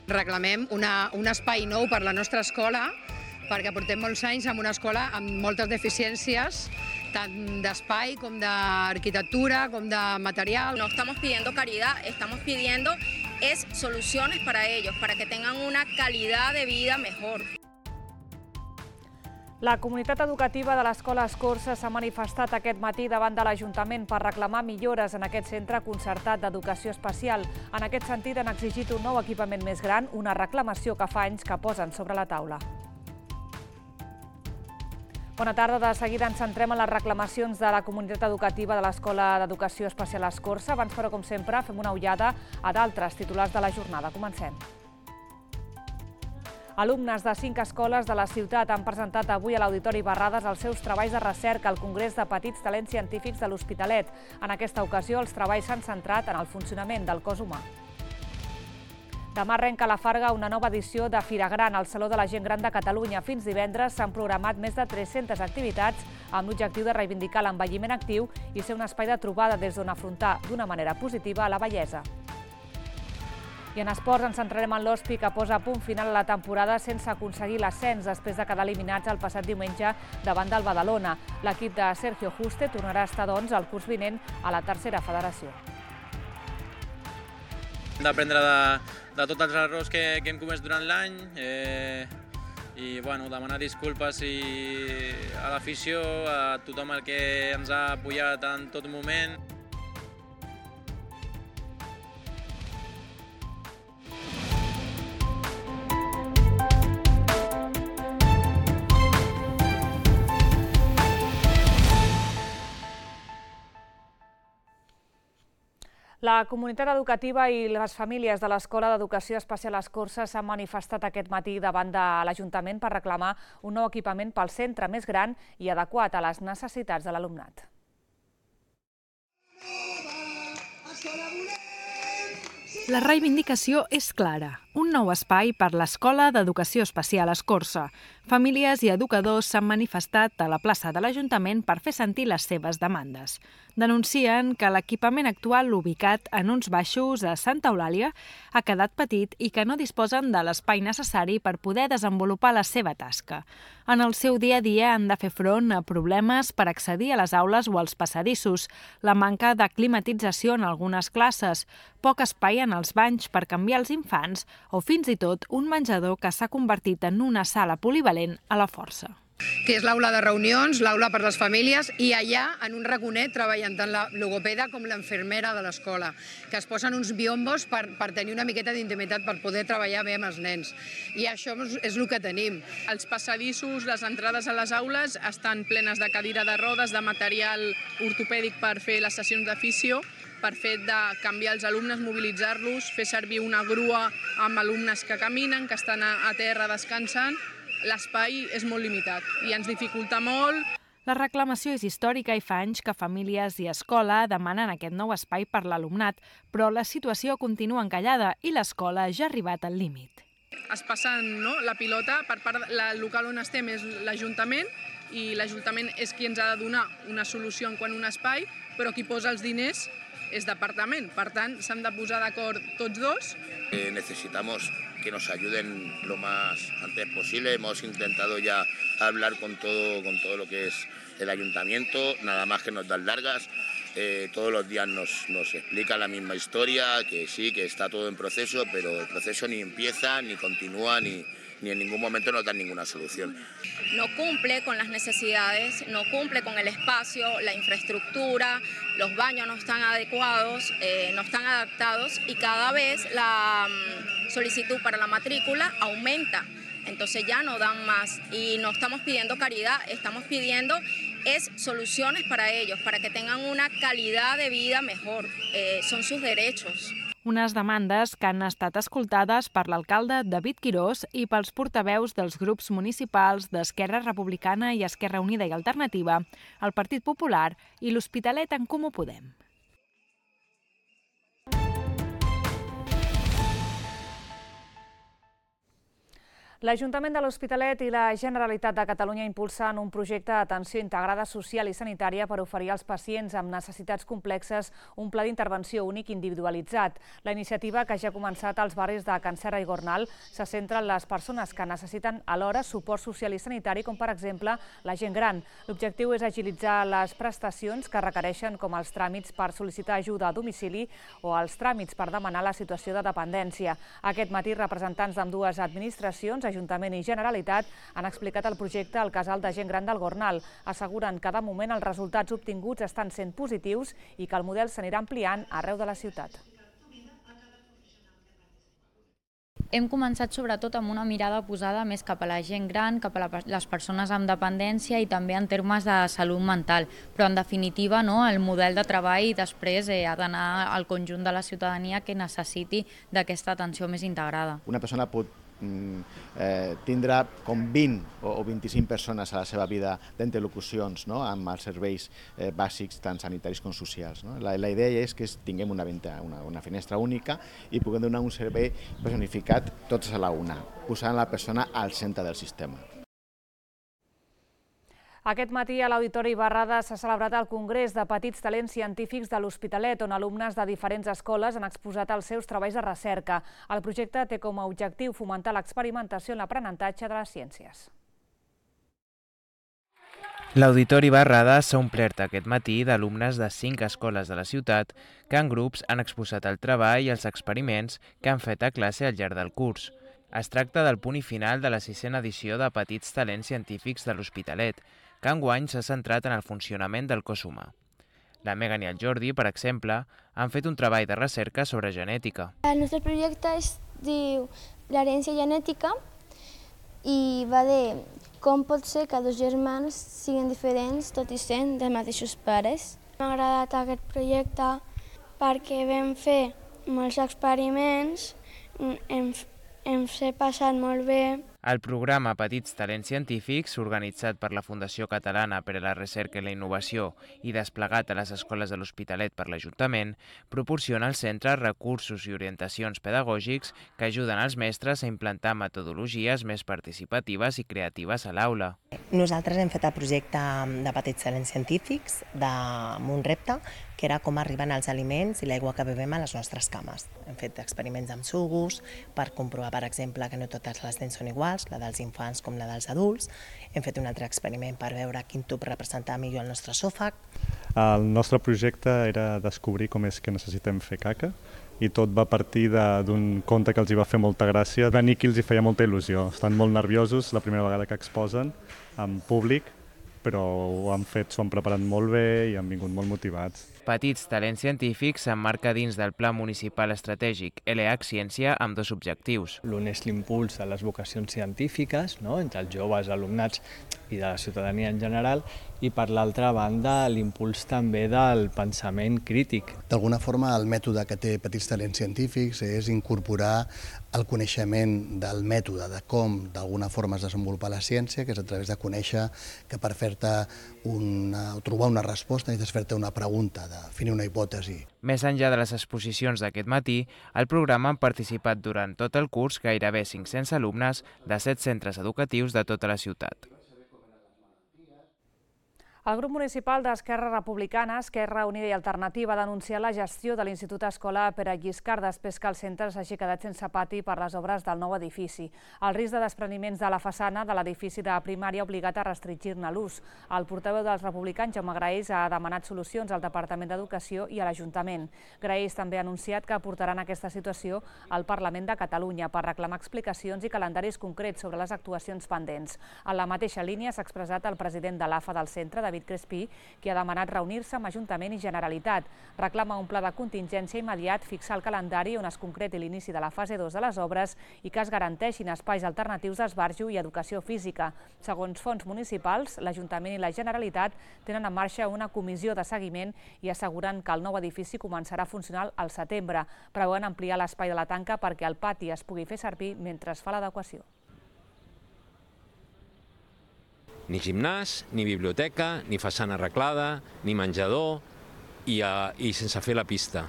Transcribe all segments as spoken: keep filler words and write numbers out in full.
Reclamem una, un espai nou per la nostra escola, perquè portem molts anys en una escola amb moltes deficiències, tant d'espai com d'arquitectura, com de material. No estamos pidiendo caridad, estamos pidiendo es soluciones para ellos, para que tengan una calidad de vida mejor. La comunitat educativa de l'Escola Escorça s'ha manifestat aquest matí davant de l'Ajuntament per reclamar millores en aquest centre concertat d'educació especial. En aquest sentit, han exigit un nou equipament més gran, una reclamació que fa anys que posen sobre la taula. Bona tarda. De seguida ens centrem en les reclamacions de la comunitat educativa de l'Escola d'Educació Especial Escorça. Abans, però, com sempre, fem una ullada a d'altres titulars de la jornada. Comencem. Alumnes de cinc escoles de la ciutat han presentat avui a l'Auditori Barrades els seus treballs de recerca al Congrés de Petits Talents Científics de l'Hospitalet. En aquesta ocasió, els treballs s'han centrat en el funcionament del cos humà. Demà arrenca a la Farga una nova edició de Fira Gran al Saló de la Gent Gran de Catalunya. Fins divendres s'han programat més de tres-centes activitats amb l'objectiu de reivindicar l'envelliment actiu i ser un espai de trobada des d'on afrontar d'una manera positiva la vellesa. I en esports ens centrarem en l'Hospi, que posa a punt final a la temporada sense aconseguir l'ascens després de quedar eliminats el passat diumenge davant del Badalona. L'equip de Sergio Juste tornarà a estar, doncs, el curs vinent a la tercera federació. Hem d'aprendre de, de tots els errors que, que hem comès durant l'any eh, i bueno, demanar disculpes i a l'afició, a tothom el que ens ha apoyat en tot moment. La comunitat educativa i les famílies de l'Escola d'Educació Especial Escorça s'han manifestat aquest matí davant de l'Ajuntament per reclamar un nou equipament pel centre més gran i adequat a les necessitats de l'alumnat. La reivindicació és clara. Un nou espai per l'Escola d'Educació Especial Escorça. Famílies i educadors s'han manifestat a la plaça de l'Ajuntament per fer sentir les seves demandes. Denuncien que l'equipament actual ubicat en uns baixos a Santa Eulàlia ha quedat petit i que no disposen de l'espai necessari per poder desenvolupar la seva tasca. En el seu dia a dia han de fer front a problemes per accedir a les aules o als passadissos, la manca de climatització en algunes classes, poc espai en els banys per canviar els infants o fins i tot un menjador que s'ha convertit en una sala polivalent a la força. Que és l'aula de reunions, l'aula per les famílies, i allà, en un raconet, treballen tant la logopeda com l'infermera de l'escola, que es posen uns biombos per, per tenir una miqueta d'intimitat, per poder treballar bé amb els nens. I això és el que tenim. Els passadissos, les entrades a les aules estan plenes de cadira de rodes, de material ortopèdic per fer les sessions de fisio, per fet de canviar els alumnes, mobilitzar-los, fer servir una grua amb alumnes que caminen, que estan a, a terra descansant. L'espai és molt limitat i ens dificulta molt. La reclamació és històrica i fa anys que famílies i escola demanen aquest nou espai per l'alumnat, però la situació continua encallada i l'escola ja ha arribat al límit. Es passen, no, la pilota per part del local on estem és l'Ajuntament i l'Ajuntament és qui ens ha de donar una solució en quant a un espai, però qui posa els diners és departament. Per tant, s'han de posar d'acord tots dos. Eh, necesitamos que nos ayuden lo más antes posible. Hemos intentado ya hablar con todo, con todo lo que es el ayuntamiento, nada más que nos dan largas. Eh, todos los días nos, nos explican la misma historia, que sí, que está todo en proceso, pero el proceso ni empieza, ni continúa, ni, ni en ningún momento nos dan ninguna solución. No cumple con las necesidades, no cumple con el espacio, la infraestructura, los baños no están adecuados, eh, no están adaptados y cada vez la um, solicitud para la matrícula aumenta. Entonces ya no dan más y no estamos pidiendo caridad, estamos pidiendo es soluciones para ellos, para que tengan una calidad de vida mejor, eh, son sus derechos. Unes demandes que han estat escoltades per l'alcalde David Quirós i pels portaveus dels grups municipals d'Esquerra Republicana i Esquerra Unida i Alternativa, el Partit Popular i l'Hospitalet en Comú Podem. L'Ajuntament de l'Hospitalet i la Generalitat de Catalunya impulsen un projecte d'atenció integrada social i sanitària per oferir als pacients amb necessitats complexes un pla d'intervenció únic individualitzat. La iniciativa, que ja ha començat als barris de Can Serra i Gornal, se centra en les persones que necessiten alhora suport social i sanitari, com per exemple la gent gran. L'objectiu és agilitzar les prestacions que requereixen, com els tràmits per sol·licitar ajuda a domicili o els tràmits per demanar la situació de dependència. Aquest matí, representants d'ambdues administracions, Ajuntament i Generalitat, han explicat el projecte al casal de gent gran del Gornal. Asseguren que de moment els resultats obtinguts estan sent positius i que el model s'anirà ampliant arreu de la ciutat. Hem començat sobretot amb una mirada posada més cap a la gent gran, cap a les persones amb dependència i també en termes de salut mental. Però en definitiva no, el model de treball després eh, ha d'anar al conjunt de la ciutadania que necessiti d'aquesta atenció més integrada. Una persona pot Eh, tindrà com vint o vint-i-cinc persones a la seva vida d'interlocucions, no?, amb els serveis eh, bàsics tant sanitaris com socials. No? La, la idea és que tinguem una, venta, una, una finestra única i puguem donar un servei personificat tots a la una, posant la persona al centre del sistema. Aquest matí a l'Auditori Barrada s'ha celebrat el Congrés de Petits Talents Científics de l'Hospitalet, on alumnes de diferents escoles han exposat els seus treballs de recerca. El projecte té com a objectiu fomentar l'experimentació en l'aprenentatge de les ciències. L'Auditori Barrada s'ha omplert aquest matí d'alumnes de cinc escoles de la ciutat que en grups han exposat el treball i els experiments que han fet a classe al llarg del curs. Es tracta del punt i final de la sisena edició de Petits Talents Científics de l'Hospitalet, que enguany s'ha centrat en el funcionament del cos humà. La Megan i el Jordi, per exemple, han fet un treball de recerca sobre genètica. El nostre projecte es diu l'herència genètica i va de com pot ser que dos germans siguin diferents tot i sent dels mateixos pares. M'ha agradat aquest projecte perquè vam fer molts experiments, hem, hem passat molt bé. El programa Petits Talents Científics, organitzat per la Fundació Catalana per a la Recerca i la Innovació i desplegat a les escoles de l'Hospitalet per l'Ajuntament, proporciona al centre recursos i orientacions pedagògics que ajuden els mestres a implantar metodologies més participatives i creatives a l'aula. Nosaltres hem fet el projecte de Petits Talents Científics amb un repte que era com arriben els aliments i l'aigua que bevem a les nostres cames. Hem fet experiments amb sucs per comprovar, per exemple, que no totes les dents són iguals, la dels infants com la dels adults. Hem fet un altre experiment per veure quin tub representava millor el nostre esòfag. El nostre projecte era descobrir com és que necessitem fer caca i tot va partir d'un conte que els hi va fer molta gràcia. Va venir qui els hi feia molta il·lusió. Estan molt nerviosos la primera vegada que exposen en públic, però ho han fet, s'ho han preparat molt bé i han vingut molt motivats. Petits Talents Científics s'emmarca dins del Pla Municipal Estratègic L H Ciència amb dos objectius. L'un és l'impuls de les vocacions científiques, no?, entre els joves, alumnats i de la ciutadania en general, i per l'altra banda l'impuls també del pensament crític. D'alguna forma el mètode que té Petits Talents Científics és incorporar el coneixement del mètode, de com d'alguna forma es desenvolupa la ciència, que és a través de conèixer que per fer-te una, trobar una resposta necessites fer-te una pregunta, definir una hipòtesi. Més enllà de les exposicions d'aquest matí, al programa han participat durant tot el curs gairebé cinc-cents alumnes de set centres educatius de tota la ciutat. El grup municipal d'Esquerra Republicana, Esquerra Unida i Alternativa ha denunciat la gestió de l'Institut Escola Pere Lliscar després que el centre s'hagi quedat sense pati per les obres del nou edifici. El risc de despreniments de la façana de l'edifici de primària ha obligat a restringir-ne l'ús. El portaveu dels republicans, Jaume Graells, ha demanat solucions al Departament d'Educació i a l'Ajuntament. Graells també ha anunciat que portaran aquesta situació al Parlament de Catalunya per reclamar explicacions i calendaris concrets sobre les actuacions pendents. En la mateixa línia s'ha expressat el president de l'A F A del centre, David Crespí, qui ha demanat reunir-se amb Ajuntament i Generalitat. Reclama un pla de contingència immediat, fixar el calendari on es concreti l'inici de la fase dos de les obres i que es garanteixin espais alternatius d'esbarjo i educació física. Segons fonts municipals, l'Ajuntament i la Generalitat tenen en marxa una comissió de seguiment i asseguren que el nou edifici començarà a funcionar al setembre. Preveuen ampliar l'espai de la tanca perquè el pati es pugui fer servir mentre es fa l'adequació. Ni gimnàs, ni biblioteca, ni façana arreglada, ni menjador i, uh, i sense fer la pista.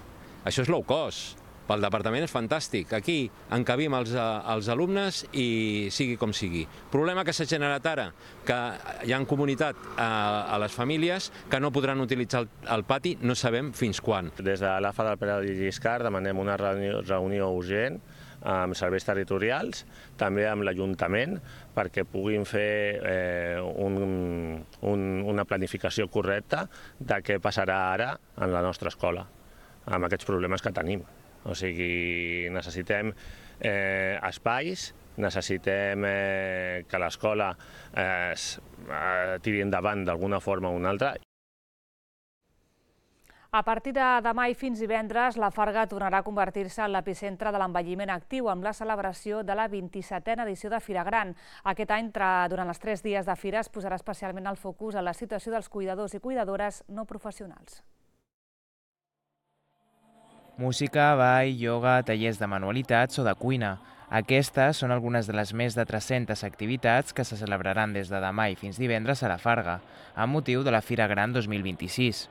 Això és low cost. pel departament és fantàstic. Aquí encabim els, els alumnes i sigui com sigui. Problema que s'ha generat ara, que hi ha comunitat a, a les famílies que no podran utilitzar el, el pati, no sabem fins quan. Des de l'A F A del Pere Lliscar demanem una reunió, reunió urgent amb serveis territorials, també amb l'Ajuntament, perquè puguin fer eh, un, un, una planificació correcta de què passarà ara en la nostra escola, amb aquests problemes que tenim. O sigui, necessitem eh, espais, necessitem eh, que l'escola eh, eh, tiri endavant d'alguna forma o una altra. A partir de demà i fins divendres, la Farga tornarà a convertir-se en l'epicentre de l'envelliment actiu amb la celebració de la vint-i-setena edició de Fira Gran. Aquest any, durant els tres dies de fira, es posarà especialment el focus en la situació dels cuidadors i cuidadores no professionals. Música, ball, ioga, tallers de manualitats o de cuina. Aquestes són algunes de les més de tres-centes activitats que se celebraran des de demà i fins divendres a la Farga, amb motiu de la Fira Gran dos mil vint-i-sis.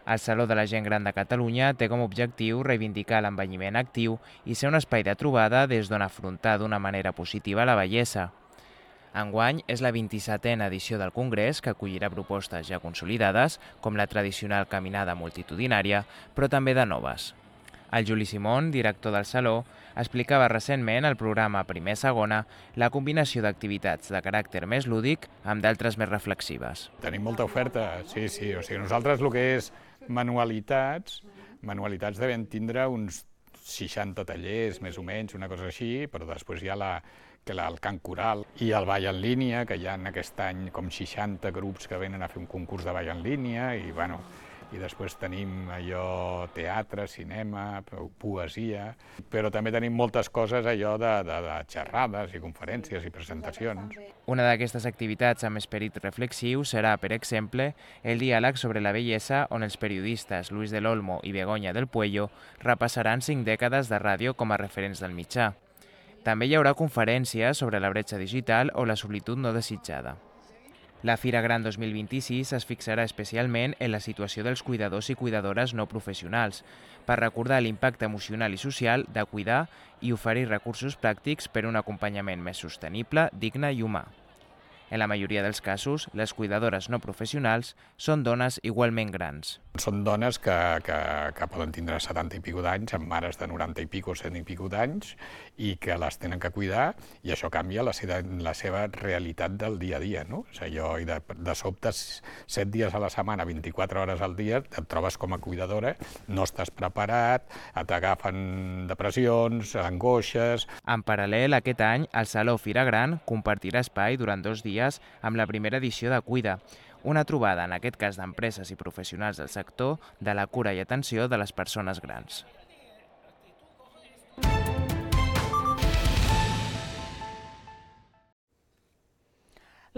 El Saló de la Gent Gran de Catalunya té com a objectiu reivindicar l'envelliment actiu i ser un espai de trobada des d'on afrontar d'una manera positiva la vellesa. Enguany és la vint-i-setena edició del Congrés, que acollirà propostes ja consolidades, com la tradicional caminada multitudinària, però també de noves. El Juli Simón, director del Saló, explicava recentment al programa Primer Segona la combinació d'activitats de caràcter més lúdic amb d'altres més reflexives. Tenim molta oferta, sí, sí. O sigui, nosaltres el que és manualitats, manualitats devem tindre uns seixanta tallers, més o menys, una cosa així, però després hi ha la, que la, el cant coral i el ball en línia, que hi ha aquest any com seixanta grups que venen a fer un concurs de ball en línia, i bueno, i després tenim allò teatre, cinema, poesia, però també tenim moltes coses allò de, de, de xerrades i conferències i presentacions. Una d'aquestes activitats amb esperit reflexiu serà, per exemple, el diàleg sobre la bellesa, on els periodistes Luis del Olmo i Begoña del Puello repassaran cinc dècades de ràdio com a referents del mitjà. També hi haurà conferències sobre la bretxa digital o la solitud no desitjada. La Fira Gran dos mil vint-i-sis es fixarà especialment en la situació dels cuidadors i cuidadores no professionals, per recordar l'impacte emocional i social de cuidar i oferir recursos pràctics per a un acompanyament més sostenible, digne i humà. En la majoria dels casos, les cuidadores no professionals són dones igualment grans. Són dones que, que, que poden tindre setanta i pico d'anys, amb mares de noranta i pico, cent i pico d'anys, i que les tenen que cuidar, i això canvia la seva, la seva realitat del dia a dia, no? O sigui, allò, i de, de sobte, set dies a la setmana, vint-i-quatre hores al dia, et trobes com a cuidadora, no estàs preparat, t'agafen depressions, angoixes. En paral·lel, aquest any, el Saló Fira Gran compartirà espai durant dos dies amb la primera edició de Cuida, una trobada, en aquest cas d'empreses i professionals del sector, de la cura i atenció de les persones grans.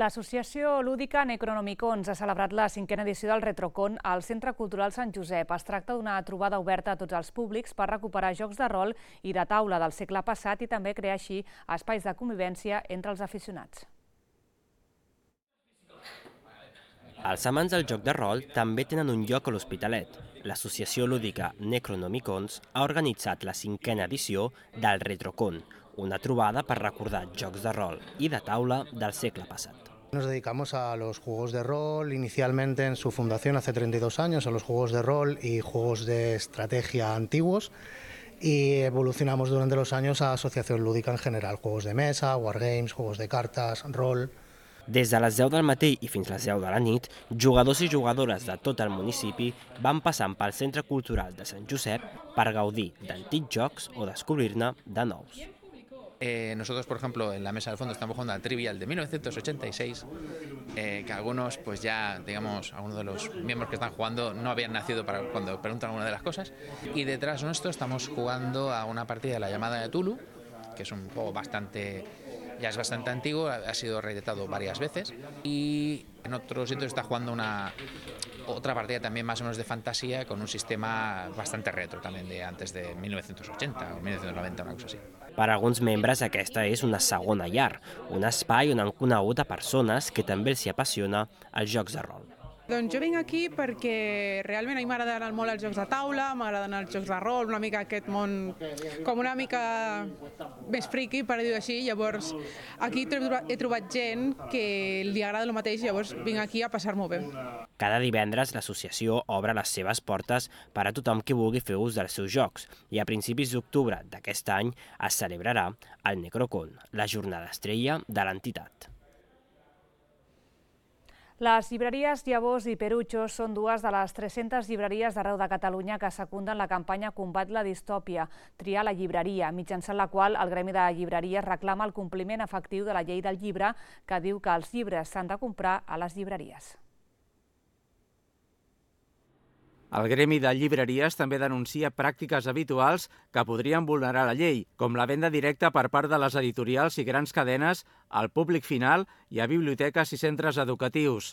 L'associació lúdica Necronomicons ha celebrat la cinquena edició del Retrocon al Centre Cultural Sant Josep. Es tracta d'una trobada oberta a tots els públics per recuperar jocs de rol i de taula del segle passat i també crear així espais de convivència entre els aficionats. Els amants del joc de rol també tenen un lloc a l'Hospitalet. L'associació lúdica Necronomicons ha organitzat la cinquena edició del Retrocon, una trobada per recordar jocs de rol i de taula del segle passat. Nos dedicamos a los juegos de rol, inicialmente en su fundación hace treinta y dos años, a los juegos de rol y juegos de estrategia antiguos, y evolucionamos durante los años a asociación lúdica en general, juegos de mesa, wargames, juegos de cartas, rol. Des de les deu del matí i fins les deu de la nit, jugadors i jugadores de tot el municipi van passant pel Centre Cultural de Sant Josep per gaudir d'antics jocs o descobrir-ne de nous. Eh, nosotros, por ejemplo, en la mesa del fondo estamos jugando al Trivial de mil novecientos ochenta y seis, eh, que algunos, pues ya, digamos, algunos de los miembros que están jugando no habían nacido para cuando preguntan alguna de las cosas. Y detrás nuestro estamos jugando a una partida de la llamada de Tulu, que es un juego bastante, ya es bastante antiguo, ha sido reeditado varias veces. Y en otro sitio está jugando una otra partida también más o menos de fantasía con un sistema bastante retro también de antes de mil novecientos ochenta o mil novecientos noventa, una cosa así. Per a alguns membres aquesta és una segona llar, un espai on han conegut a persones que també els hi apassiona els jocs de rol. Doncs jo vinc aquí perquè realment a mi m'agrada anar molt als jocs de taula, m'agrada anar als jocs de rol, una mica aquest món com una mica més friqui, per dir-ho així. Llavors aquí he trobat gent que li agrada el mateix, llavors vinc aquí a passar-m'ho bé. Cada divendres l'associació obre les seves portes per a tothom que vulgui fer ús dels seus jocs i a principis d'octubre d'aquest any es celebrarà el Necrocon, la jornada estrella de l'entitat. Les llibreries Llavors i Perucho són dues de les tres-centes llibreries d'arreu de Catalunya que secunden la campanya Combat la distòpia, triar la llibreria, mitjançant la qual el Gremi de Llibreries reclama el compliment efectiu de la llei del llibre que diu que els llibres s'han de comprar a les llibreries. El Gremi de Llibreries també denuncia pràctiques habituals que podrien vulnerar la llei, com la venda directa per part de les editorials i grans cadenes al públic final i a biblioteques i centres educatius.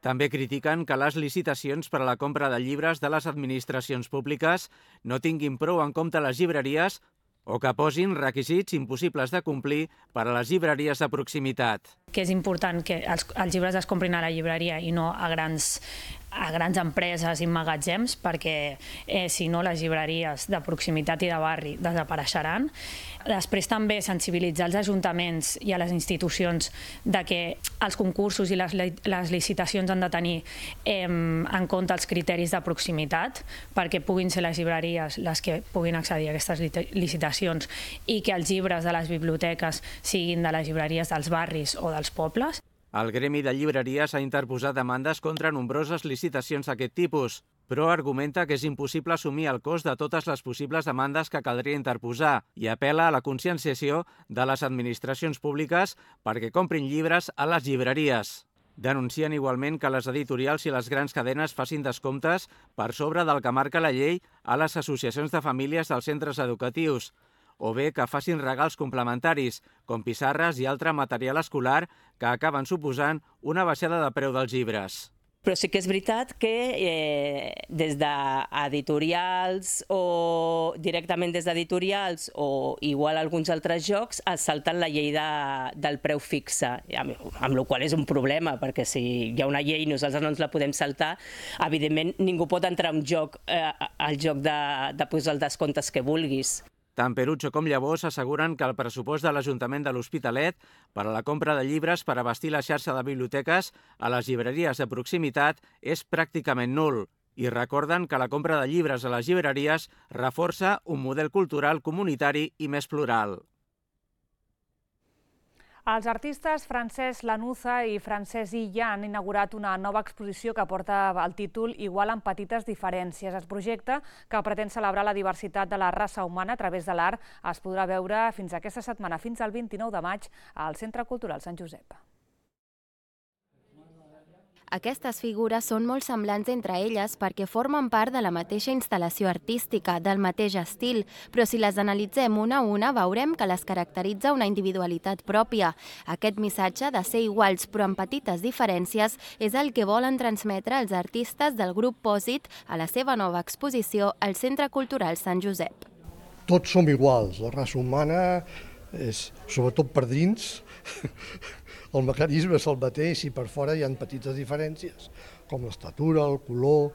També critiquen que les licitacions per a la compra de llibres de les administracions públiques no tinguin prou en compte les llibreries o que posin requisits impossibles de complir per a les llibreries de proximitat. Que és important que els, els llibres es comprin a la llibreria i no a grans, a grans empreses i magatzems, perquè eh, si no les llibreries de proximitat i de barri desapareixeran. Després també sensibilitzar els ajuntaments i a les institucions de que els concursos i les, les licitacions han de tenir eh, en compte els criteris de proximitat perquè puguin ser les llibreries les que puguin accedir a aquestes licitacions i que els llibres de les biblioteques siguin de les llibreries dels barris o dels pobles. El Gremi de Llibreries ha interposat demandes contra nombroses licitacions d'aquest tipus, però argumenta que és impossible assumir el cost de totes les possibles demandes que caldria interposar i apel·la a la conscienciació de les administracions públiques perquè comprin llibres a les llibreries. Denuncien igualment que les editorials i les grans cadenes facin descomptes per sobre del que marca la llei a les associacions de famílies dels centres educatius, o bé que facin regals complementaris, com pissarres i altre material escolar que acaben suposant una baixada de preu dels llibres. Però sí que és veritat que eh, des d'editorials o directament des d'editorials o igual alguns altres jocs es salten la llei de, del preu fixe, amb, amb la qual és un problema, perquè si hi ha una llei i nosaltres no ens la podem saltar, evidentment ningú pot entrar en joc, eh, al joc de, de posar els descomptes que vulguis. Tant Perucho com Llavors asseguren que el pressupost de l'Ajuntament de l'Hospitalet per a la compra de llibres per abastir la xarxa de biblioteques a les llibreries de proximitat és pràcticament nul i recorden que la compra de llibres a les llibreries reforça un model cultural comunitari i més plural. Els artistes Francesc Lanuza i Francesc Illa han inaugurat una nova exposició que porta el títol Igual amb petites diferències. El projecte, que pretén celebrar la diversitat de la raça humana a través de l'art, es podrà veure fins aquesta setmana, fins al vint-i-nou de maig, al Centre Cultural Sant Josep. Aquestes figures són molt semblants entre elles perquè formen part de la mateixa instal·lació artística, del mateix estil, però si les analitzem una a una veurem que les caracteritza una individualitat pròpia. Aquest missatge de ser iguals però amb petites diferències és el que volen transmetre els artistes del grup Pòsit a la seva nova exposició al Centre Cultural Sant Josep. Tots som iguals, la raça humana és, sobretot per dins, el mecanisme és el mateix i per fora hi ha petites diferències, com l'estatura, el color.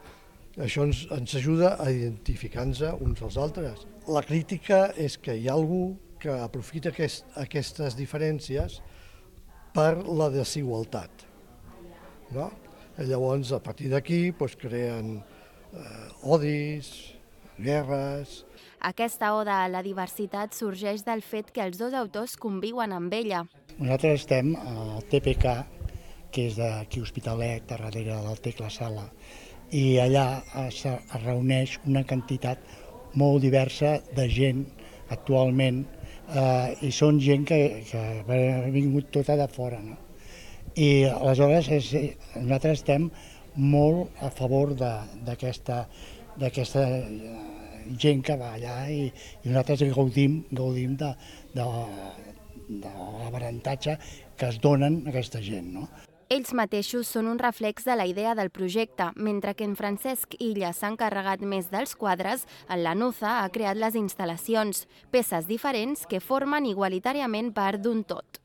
Això ens, ens ajuda a identificar-nos uns als altres. La crítica és que hi ha algú que aprofita aquest, aquestes diferències per la desigualtat. No? I llavors, a partir d'aquí, doncs, creen eh, odis, guerres. Aquesta oda a la diversitat sorgeix del fet que els dos autors conviuen amb ella. Nosaltres estem al T P K, que és d'aquí Hospitalet, darrere del Tecla Sala, i allà es reuneix una quantitat molt diversa de gent actualment, eh, i són gent que, que ha vingut tota de fora. No? I aleshores és, nosaltres estem molt a favor d'aquesta d'aquesta gent que va allà i, i nosaltres gaudim, gaudim de, de, de l'avantatge que es donen a aquesta gent. No? Ells mateixos són un reflex de la idea del projecte. Mentre que en Francesc Illa s'ha encarregat més dels quadres, en Lanuza ha creat les instal·lacions, peces diferents que formen igualitàriament part d'un tot.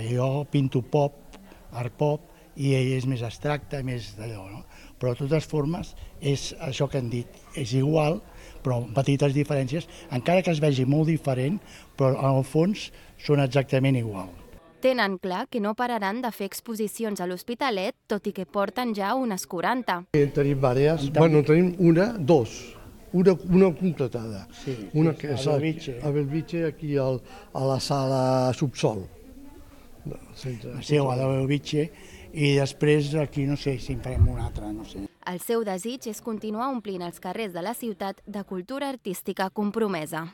Jo pinto pop, art pop, i ell és més abstracte, més d'allò, no? Però de totes formes és això que han dit, és igual, però amb petites diferències, encara que es vegi molt diferent, però en el fons són exactament igual. Tenen clar que no pararan de fer exposicions a l'Hospitalet, tot i que porten ja unes quaranta. En tenim diverses, bueno, tenim una, dos, una, una concretada. Sí, una que és a Belvitge. A Belvitge, aquí al, a la sala subsol. Sí, a la Belvitge, i després aquí no sé si en farem una altra, no sé. El seu desig és continuar omplint els carrers de la ciutat de cultura artística compromesa.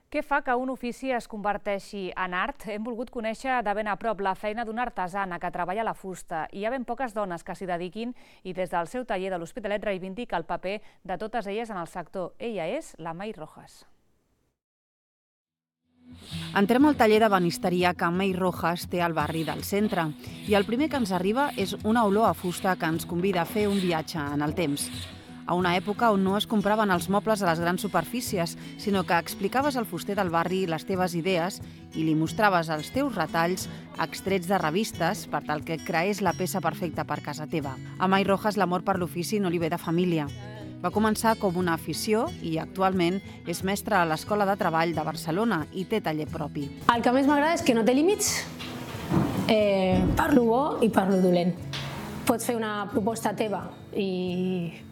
Què fa que un ofici es converteixi en art? Hem volgut conèixer de ben a prop la feina d'una artesana que treballa la fusta. Hi ha ben poques dones que s'hi dediquin i des del seu taller de l'Hospitalet reivindica el paper de totes elles en el sector. Ella és la May Rojas. Entrem al taller de banisteria que May Rojas té al barri del centre i el primer que ens arriba és una olor a fusta que ens convida a fer un viatge en el temps. A una època on no es compraven els mobles a les grans superfícies, sinó que explicaves al fuster del barri les teves idees i li mostraves els teus retalls extrets de revistes per tal que creés la peça perfecta per casa teva. A May Rojas l'amor per l'ofici no li ve de família. Va començar com una afició i actualment és mestra a l'Escola de Treball de Barcelona i té taller propi. El que més m'agrada és que no té límits, eh, per lo bo i per lo dolent. Pots fer una proposta teva i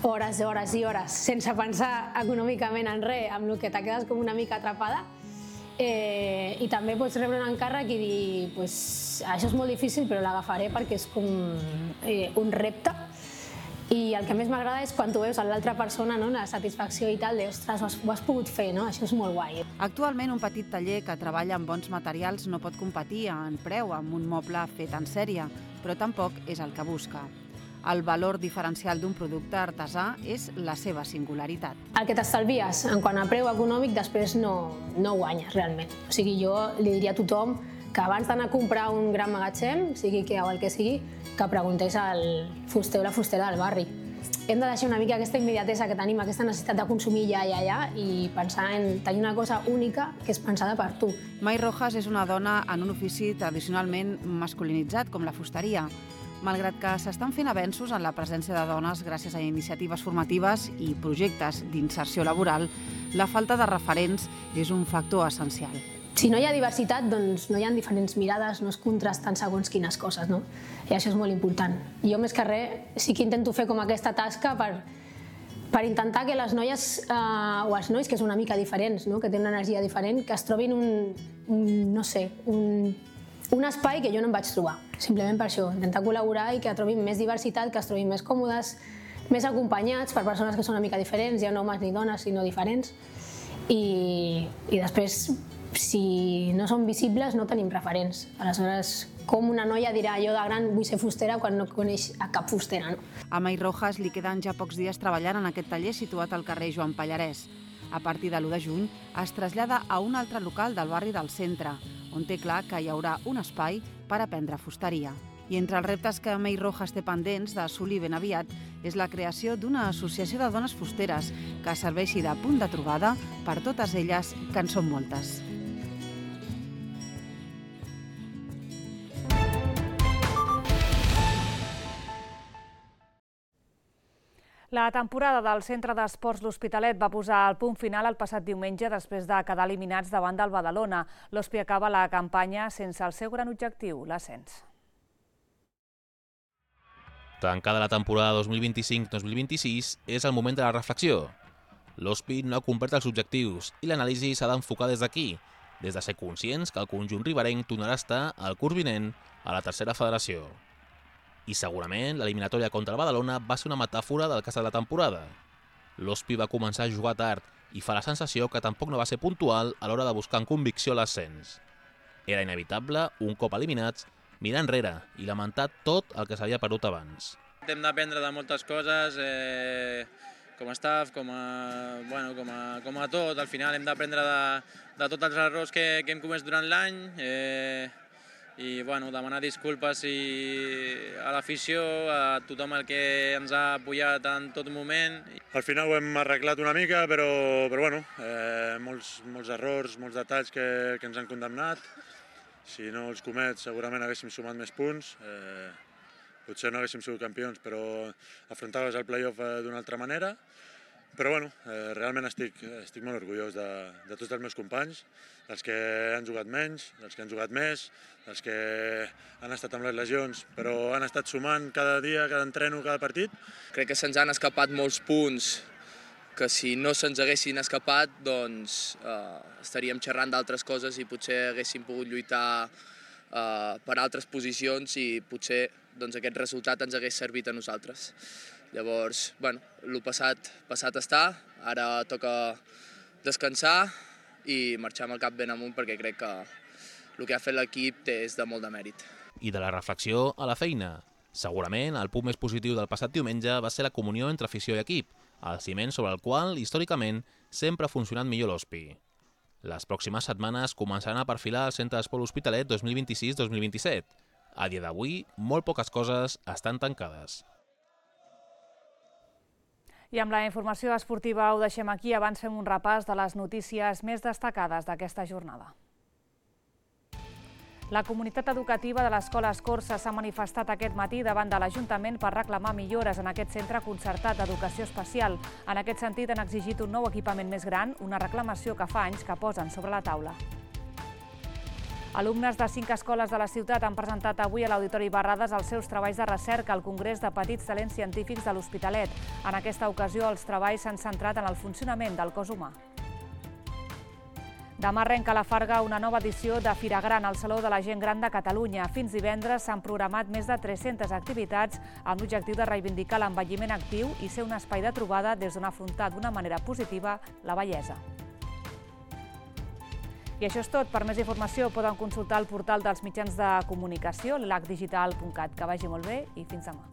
hores, hores i hores, sense pensar econòmicament en res, amb el que te quedes com una mica atrapada. Eh, I també pots rebre un encàrrec i dir, pues, això és molt difícil, però l'agafaré perquè és com eh, un repte. I el que més m'agrada és quan tu veus a l'altra persona, no? La satisfacció i tal, de, ostres, ho has, ho has pogut fer, no? Això és molt guai. Actualment, un petit taller que treballa amb bons materials no pot competir en preu amb un moble fet en sèrie, però tampoc és el que busca. El valor diferencial d'un producte artesà és la seva singularitat. El que t'estalvies en quant a preu econòmic després no, no guanyes realment. O sigui, jo li diria a tothom que abans d'anar a comprar un gran magatzem, sigui que o el que sigui, que preguntés al fuster o la fustera del barri. Hem de deixar una mica aquesta immediatesa que tenim, aquesta necessitat de consumir ja, ja, ja, i pensar en tenir una cosa única que és pensada per tu. May Rojas és una dona en un ofici tradicionalment masculinitzat, com la fusteria. Malgrat que s'estan fent avenços en la presència de dones gràcies a iniciatives formatives i projectes d'inserció laboral, la falta de referents és un factor essencial. Si no hi ha diversitat, doncs no hi ha diferents mirades, no es contrasten segons quines coses, no? I això és molt important. Jo, més que res, sí que intento fer com aquesta tasca per, per intentar que les noies, eh, o els nois, que són una mica diferents, no? Que tenen una energia diferent, que es trobin un, un no sé, un, un espai que jo no em vaig trobar. Simplement per això, intentar col·laborar i que trobin més diversitat, que es trobin més còmodes, més acompanyats per persones que són una mica diferents, ja no homes ni dones, sinó diferents. I, i després, si no són visibles, no tenim referents. Aleshores, com una noia dirà jo de gran vull ser fustera quan no coneix a cap fustera, no? A May Rojas li queden ja pocs dies treballant en aquest taller situat al carrer Joan Pallarès. A partir de l'u de juny es trasllada a un altre local del barri del centre, on té clar que hi haurà un espai per aprendre fusteria. I entre els reptes que May Rojas té pendents d'assolir ben aviat és la creació d'una associació de dones fusteres que serveixi de punt de trobada per totes elles, que en són moltes. La temporada del Centre d'Esports L'Hospitalet va posar el punt final el passat diumenge després de quedar eliminats davant del Badalona. L'Hospi acaba la campanya sense el seu gran objectiu, l'ascens. Tancada la temporada dos mil vint-i-cinc dos mil vint-i-sis, és el moment de la reflexió. L'Hospi no ha complert els objectius i l'anàlisi s'ha d'enfocar des d'aquí, des de ser conscients que el conjunt riberenc tornarà a estar al curs vinent a la tercera federació. I segurament l'eliminatòria contra el Badalona va ser una metàfora del que ha estat la temporada. L'Hospi va començar a jugar tard i fa la sensació que tampoc no va ser puntual a l'hora de buscar amb convicció l'ascens. Era inevitable, un cop eliminats, mirar enrere i lamentar tot el que s'havia perdut abans. Hem d'aprendre de moltes coses, eh, com a staff, com a, bueno, com a, com a tot. Al final hem d'aprendre de, de tots els errors que, que hem comès durant l'any, eh, i bueno, demanar disculpes i a l'afició, a tothom el que ens ha apoyat en tot moment. Al final ho hem arreglat una mica, però, però bueno, eh, molts, molts errors, molts detalls que, que ens han condemnat. si no els comets segurament haguéssim sumat més punts, eh, potser no haguéssim sigut campions, però afrontaves el play-off d'una altra manera. Però bueno, eh, realment estic, estic molt orgullós de, de tots els meus companys, dels que han jugat menys, dels que han jugat més, dels que han estat amb les lesions, però han estat sumant cada dia, cada entreno, cada partit. Crec que se'ns han escapat molts punts que si no se'ns haguessin escapat doncs eh, estaríem xerrant d'altres coses i potser haguéssim pogut lluitar eh, per altres posicions i potser doncs, aquest resultat ens hagués servit a nosaltres. Llavors, bueno, el passat, passat està, ara toca descansar i marxar amb el cap ben amunt perquè crec que el que ha fet l'equip és de molt de mèrit. I de la reflexió a la feina. Segurament el punt més positiu del passat diumenge va ser la comunió entre afició i equip, el ciment sobre el qual, històricament, sempre ha funcionat millor l'O S P I. Les pròximes setmanes començaran a perfilar el Centre d'Esport L'Hospitalet dos mil vint-i-sis dos mil vint-i-set. A dia d'avui, molt poques coses estan tancades. I amb la informació esportiva ho deixem aquí. Abans fem un repàs de les notícies més destacades d'aquesta jornada. La comunitat educativa de l'Escola Escorça s'ha manifestat aquest matí davant de l'Ajuntament per reclamar millores en aquest centre concertat d'educació especial. En aquest sentit, han exigit un nou equipament més gran, una reclamació que fa anys que posen sobre la taula. Alumnes de cinc escoles de la ciutat han presentat avui a l'Auditori Barrades els seus treballs de recerca al Congrés de Petits Talents Científics de l'Hospitalet. En aquesta ocasió, els treballs s'han centrat en el funcionament del cos humà. Demà arrenca a la Farga una nova edició de Fira Gran al Saló de la Gent Gran de Catalunya. Fins divendres s'han programat més de tres-centes activitats amb l'objectiu de reivindicar l'envelliment actiu i ser un espai de trobada des d'on afrontar d'una manera positiva la vellesa. I això és tot. Per més informació poden consultar el portal dels mitjans de comunicació, l'elac digital punt cat. Que vagi molt bé i fins demà.